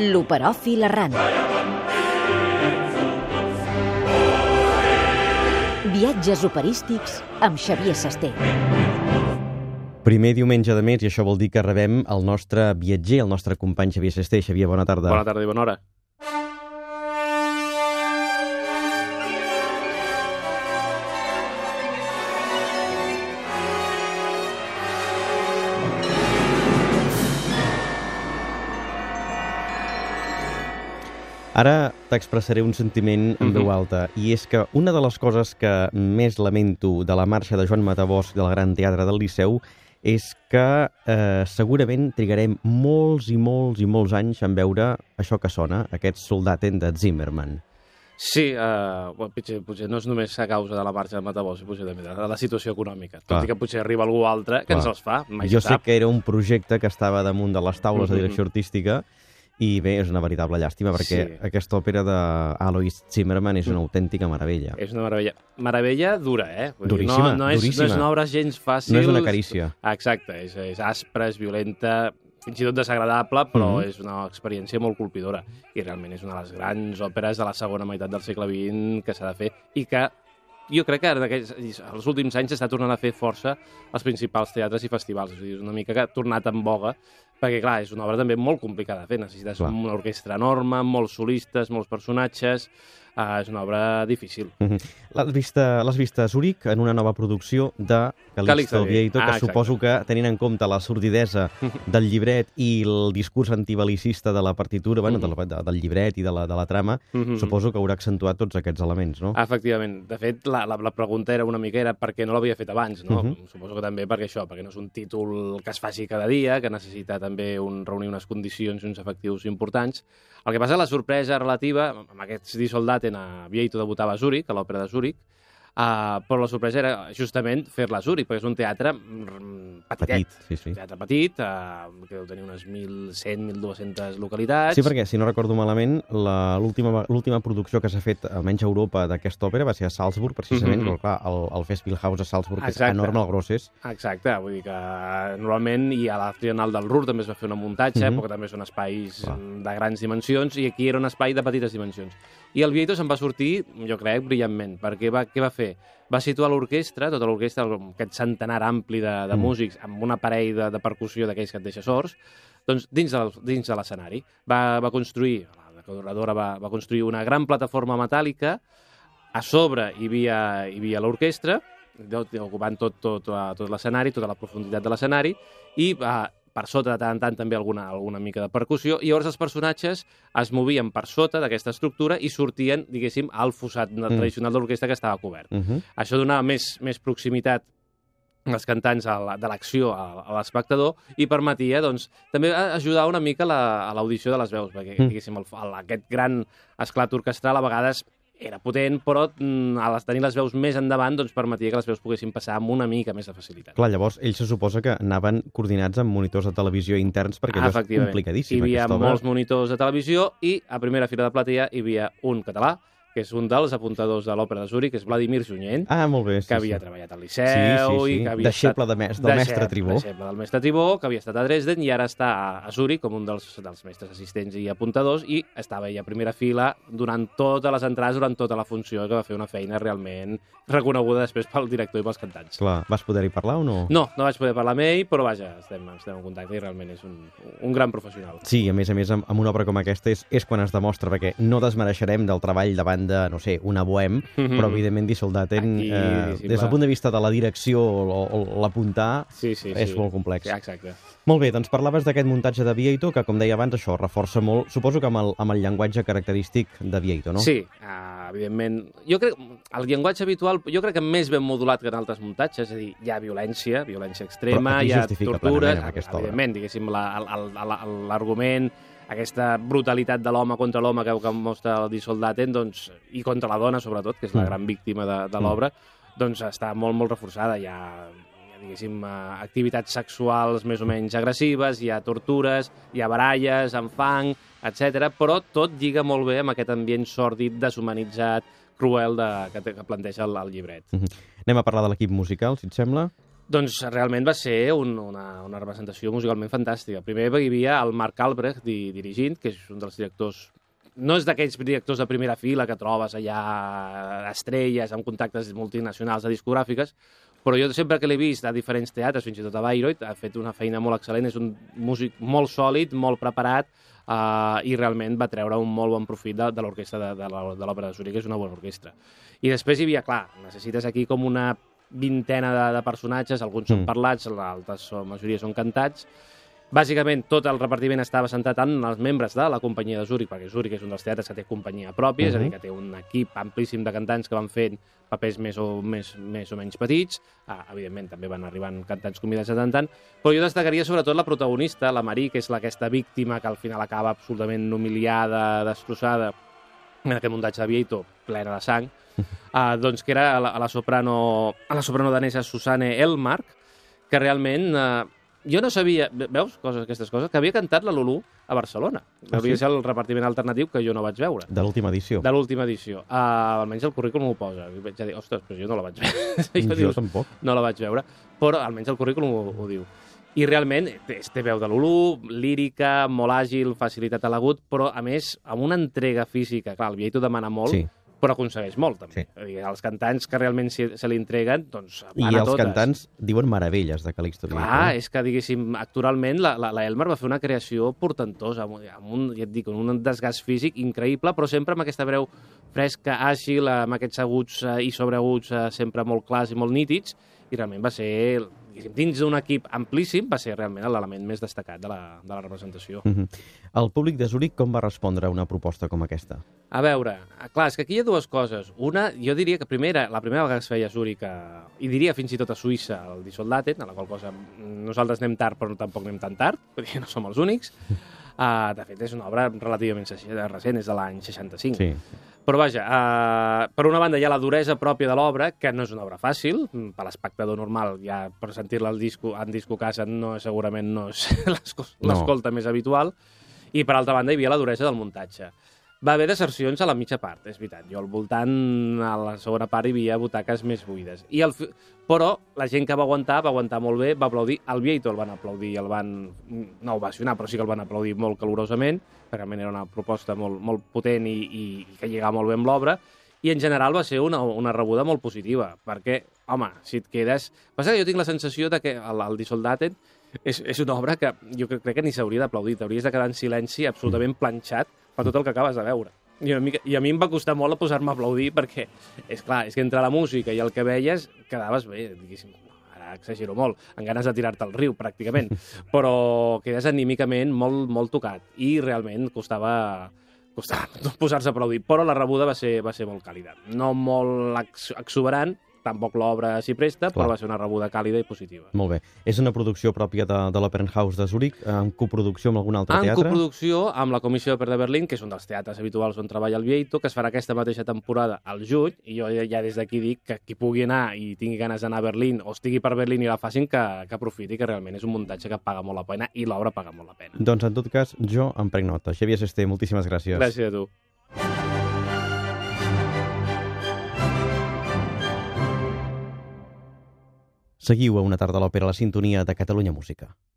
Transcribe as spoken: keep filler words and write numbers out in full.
L'Operòfil errant. Viatges operístics amb Xavier Sasté. Primer diumenge de mes, i això vol dir que rebem el nostre viatger, el nostre company Xavier Sasté. Xavier, bona tarda. Bona tarda i bona hora. Ara t'expressaré un sentiment en veu alta, i és que una de les coses que més lamento de la marxa de Joan Matabosc del Gran Teatre del Liceu és que eh, segurament trigarem molts i molts i molts anys en veure això que sona, aquest Soldaten de Zimmermann. Sí, eh, bueno, potser, potser no és només a causa de la marxa de Matabosc, potser també de la situació econòmica. Tot Clar. i que potser arriba algú altre que Clar. ens els fa, mai Jo se sap. sé que era un projecte que estava damunt de les taules de direcció artística, i bé, és una veritable llàstima, perquè Sí. aquesta òpera d'Alois Zimmermann és una autèntica meravella. És una meravella. Meravella dura, eh? Vull dir, Duríssima, no, no, és, duríssima. no és una obra gens fàcil. No és una carícia. Exacte, és, és aspra, és violenta, fins i tot desagradable, però Mhm. és una experiència molt colpidora. I realment és una de les grans òperes de la segona meitat del segle vint que s'ha de fer i que jo crec que ara, els últims anys s'està tornant a fer força als principals teatres i festivals. És a dir, és una mica que ha tornat en boga, perquè, clar, és una obra també molt complicada de fer. Necessites Clar. una orquestra enorme, molts solistes, molts personatges. Uh, és una obra difícil. Mhm. L'has vista, l'has vista a Zúrich en una nova producció de Calixto Calixto Vieito, que ah, suposo que, tenint en compte la sordidesa del llibret i el discurs antibelicista de la partitura, bueno, de la, de, del llibret i de la, de la trama, Mhm. suposo que haurà accentuat tots aquests elements, no? Efectivament. De fet, la, la, la pregunta era una mica era per què no l'havia fet abans, no? Mhm. Suposo que també perquè això, perquè no és un títol que es faci cada dia, que necessita també un, reunir unes condicions i uns efectius importants. El que passa, la sorpresa relativa, amb aquests Die Soldaten a Vieito debutava a Zúrich, a l'òpera de Zúrich, Uh, però la sorpresa era justament fer-la a Zúrich, perquè és un teatre mm, petitet. Petit, sí, sí. Un teatre petit, uh, que deu tenir unes mil cent, mil dues-centes localitats. Sí, perquè, si no recordo malament, la- l'última l'última producció que s'ha fet, almenys a Europa, d'aquesta òpera va ser a Salzburg, precisament, Mhm. però clar, el, el Festspielhaus a Salzburg, que és Exacte. enorme, el gros és. Exacte, vull dir que normalment i a la Triennal del Ruhr també es va fer una muntatge, Mhm. però que també són espais Clar. de grans dimensions, i aquí era un espai de petites dimensions. I el Vieito se'n va sortir, jo crec, brillantment, perquè va, què va fer? Va situar l'orquestra, tota l'orquestra, aquest centenar ampli de, de Mm. músics, amb un aparell de, de percussió d'aquells que et deixa sords, doncs dins, del, dins de l'escenari. Va, va construir, la decoradora va, va construir una gran plataforma metàl·lica, a sobre hi havia, hi havia l'orquestra, ocupant tot, tot, tot l'escenari, tota la profunditat de l'escenari, i uh, per sota de tant en tant també alguna, alguna mica de percussió, i llavors els personatges es movien per sota d'aquesta estructura i sortien, diguéssim, al fossat mm. tradicional de l'orquestra que estava cobert. Uh -huh. Això donava més, més proximitat als cantants a la, de l'acció a, a l'espectador i permetia, doncs, també ajudar una mica la, a l'audició de les veus, perquè, Mm. diguéssim, el, el, aquest gran esclat orquestral a vegades era potent, però mm, a les, tenir les veus més endavant doncs, permetia que les veus poguessin passar amb una mica més de facilitat. Clar, llavors ells se suposa que anaven coordinats amb monitors de televisió interns, perquè allò és complicadíssim, Hi havia aquesta obra. molts monitors de televisió i a primera fila de platea hi havia un català, que és un dels apuntadors de l'òpera de Zúrich, que és Vladimir Junyent, Ah, molt bé. Sí, que havia sí. treballat al Liceu... Sí, sí, sí. I que havia Deixeble estat... de mes- del mestre Deixeble- Tribó. Deixeble del mestre Tribó, que havia estat a Dresden i ara està a, a Zúrich com un dels, dels mestres assistents i apuntadors, i estava ell a primera fila durant totes les entrades, durant tota la funció, que va fer una feina realment reconeguda després pel director i pels cantants. Clar, vas poder-hi parlar o no? No, no vaig poder parlar amb ell, però vaja, estem, estem en contacte i realment és un, un gran professional. Sí, a més a més, amb, amb una obra com aquesta és, és quan es demostra, perquè no desmereixerem del treball davant de, no sé, una bohem, Mhm. però evidentment Die Soldaten, Aquí, eh, sí, des va. del punt de vista de la direcció o, o l'apuntar, Sí, sí, és sí. molt complex. Sí, exacte. Molt bé, doncs parlaves d'aquest muntatge de Vieito, que com deia abans, això reforça molt, suposo que amb el, amb el llenguatge característic de Vieito, no? Sí, uh, evidentment. Jo crec, el llenguatge habitual, jo crec que més ben modulat que en altres muntatges, és a dir, hi ha violència, violència extrema, Però aquí hi ha justifica tortures, plenament amb aquesta obra. evidentment, diguéssim, la- el- el- l'argument, aquesta brutalitat de l'home contra l'home que, que mostra el Die Soldaten, doncs, i contra la dona, sobretot, que és la Mm. gran víctima de, de l'obra, doncs està molt, molt reforçada. Hi ha, hi ha diguéssim, eh, activitats sexuals més o menys agressives, hi ha tortures, hi ha baralles amb fang, etcètera, però tot lliga molt bé amb aquest ambient sòrdid, deshumanitzat, cruel de, que, que planteja el, el llibret. Mhm. Anem a parlar de l'equip musical, si et sembla. Doncs realment va ser un, una, una representació musicalment fantàstica. Primer hi havia el Marc Albrecht di, dirigint, que és un dels directors... No és d'aquells directors de primera fila que trobes allà estrelles amb contactes multinacionals de discogràfiques, però jo sempre que l'he vist a diferents teatres, fins i tot a Bayreuth, ha fet una feina molt excel·lent, és un músic molt sòlid, molt preparat, eh, i realment va treure un molt bon profit de, de l'orquestra de, de l'Òpera de Zuric, que és una bona orquestra. I després hi havia, clar, necessites aquí com una vintena de, de personatges, alguns són parlats, l'altres, la majoria són cantats. Bàsicament, tot el repartiment estava centrat en els membres de la companyia de Zúrich, perquè Zúrich és un dels teatres que té companyia pròpia, uh-huh. és a dir, que té un equip amplíssim de cantants que van fent papers més o, més, més o menys petits. Ah, evidentment, també van arribant cantants convidats de tant en tant, però jo destacaria sobretot la protagonista, la Marie, que és la, aquesta víctima que al final acaba absolutament humiliada, destrossada, en aquest muntatge de Vieito, plena de sang, uh, doncs que era a la, a la soprano, a la soprano danesa Susanne Elmark, que realment... Uh, jo no sabia, veus, coses, aquestes coses, que havia cantat la Lulú a Barcelona. Ah, havia sí? ser el repartiment alternatiu que jo no vaig veure. De l'última edició. De l'última edició. Uh, almenys el currículum ho posa. I vaig a dir, ostres, però jo no la vaig veure. jo diu, tampoc. No la vaig veure, però almenys el currículum ho, ho diu. I realment té, té veu de Lulú, lírica, molt àgil, facilitat a l'agut, però a més amb una entrega física. Clar, el Vieito demana molt, sí. però aconsegueix molt, també. Sí. Dir, els cantants que realment se, se li entreguen, doncs van I a totes. I els cantants diuen meravelles de Calixto Vieito. Clar, és que, diguéssim, actualment la, la, la Elmar va fer una creació portentosa, amb, amb un, ja et dic, un desgast físic increïble, però sempre amb aquesta veu fresca, àgil, amb aquests aguts eh, i sobreaguts eh, sempre molt clars i molt nítids, i realment va ser, dins d'un equip amplíssim, va ser realment l'element més destacat de la, de la representació. Uh-huh. El públic de Zúrich com va respondre a una proposta com aquesta? A veure, clar, és que aquí hi ha dues coses. Una, jo diria que primera, la primera vegada que es feia a Zúrich, a, i diria fins i tot a Suïssa, el Die Soldaten, a la qual cosa nosaltres anem tard, però tampoc anem tan tard, perquè no som els únics. Uh, de fet, és una obra relativament recent, és de l'any seixanta-cinc. Sí. Però vaja, uh, per una banda hi ha la duresa pròpia de l'obra, que no és una obra fàcil, per l'espectador normal, ja per sentir-la disco, en disco casa no, segurament no és l'escolta no. més habitual, i per altra banda hi havia la duresa del muntatge. Va haver desercions a la mitja part, és veritat. Jo al voltant, a la segona part, hi havia butaques més buides. I el, però la gent que va aguantar, va aguantar molt bé, va aplaudir. El Vieito el van aplaudir, el van, no ovacionar, però sí que el van aplaudir molt calorosament, perquè realment era una proposta molt, molt potent i, i, i que lligava molt bé amb l'obra. I en general va ser una, una rebuda molt positiva, perquè, home, si et quedes... Passa que jo tinc la sensació de que el, el Die Soldaten és, és una obra que jo crec, crec que ni s'hauria d'aplaudir, t'hauries de quedar en silenci absolutament planxat per tot el que acabes de veure. I a mi, i a mi em va costar molt a posar-me a aplaudir perquè, és clar, és que entre la música i el que veies quedaves bé, diguéssim, ara exagero molt, amb ganes de tirar-te al riu, pràcticament, però quedes anímicament molt, molt tocat i realment costava, costava posar-se a aplaudir, però la rebuda va ser, va ser molt càlida. No molt ex exuberant, tampoc l'obra s'hi presta, clar, però va ser una rebuda càlida i positiva. Molt bé. És una producció pròpia de, de l'Opernhaus de Zúrich, en coproducció amb algun altre en teatre? En coproducció amb la Comissió d'Òpera de Berlín, que és un dels teatres habituals on treballa el Vieito, que es farà aquesta mateixa temporada al juny, i jo ja des d'aquí dic que qui pugui anar i tingui ganes d'anar a Berlín, o estigui per Berlín i la facin, que, que aprofiti, que realment és un muntatge que paga molt la pena, i l'obra paga molt la pena. Doncs, en tot cas, jo em prenc nota. Xavier Sesté, moltíssimes gràcies. Gràcies a tu. Seguiu a Una tarda a l'òpera, a la sintonia de Catalunya Música.